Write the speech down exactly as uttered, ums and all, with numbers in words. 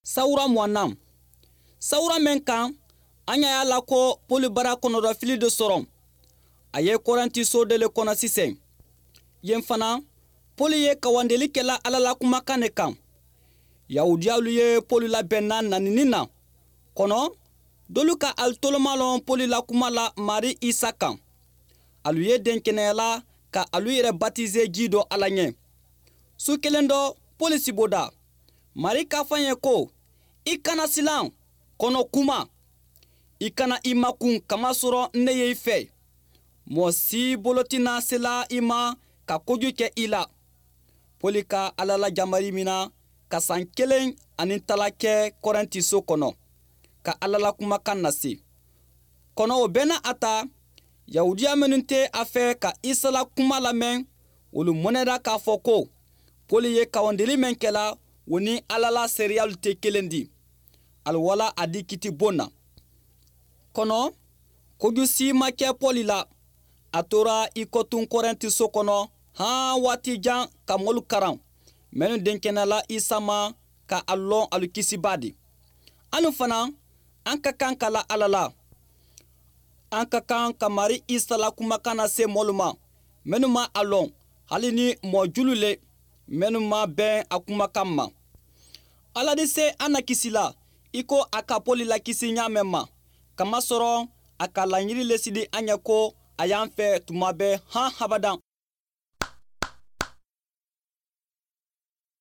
Sawura muwaanaŋ. Sawura meŋ kaŋ, a ñaa ye a la ko poli bara konodafili de soroŋ. A ye korenti soo de le kono siseŋ. Yeŋ fanaa, poli ye kawandeli ke la alla la kumakaŋ ne kaŋ. Yahuudiyaalu ye poli la bennaa nanini na. Kono doolu ka ali tolomaa loŋ poli la kuma la maarii isa kaŋ. Alu ye denkeneya la ka alu yere batize jii do alla ñe. Su keleŋ do, poli siboda. Maarii ka a fo a ye ko, i kana silaŋ, kono kuma. I kana i makuŋ kamasoro n ne ye i fee. Moo si bolo ti naa silaa i ma ka koju ke i la. Poli ka alla la jamarii mina ka saŋ keleŋ aniŋ talaa ke korenti soo kono, ka alla la kumakaŋ nasi. Kono wo bee na a ta, yahuudiya mennu te a fee ka isa la kuma lameŋ, wolu moneda ka a fo ko, poli ye kawandili meŋ ke la, wo niŋ alla la seeriyaalu te keleŋ di. Ali wala a dii kiti boŋ na. Kono koju si ma ke poli la. A tora i kotuŋ korenti soo kono haa waati jaŋ ka moolu karaŋ mennu denkena la isa ma, ka ali loŋ ali kisibaa di. Aniŋ fanaa, aŋ ka kaŋ ka la alla la. Aŋ ka kaŋ ka maarii isa la kumakaŋ na see moolu ma mennu maŋ a loŋ, hali niŋ moo julu le mennu maŋ beŋ a kumakaŋ ma. Alla di see a na kisi la i ko a ka poli lakisi ñaameŋ ma, kamasoro a ka lañiri le sidi a ñe ko a ye a fee tumaa bee haa habadaŋ.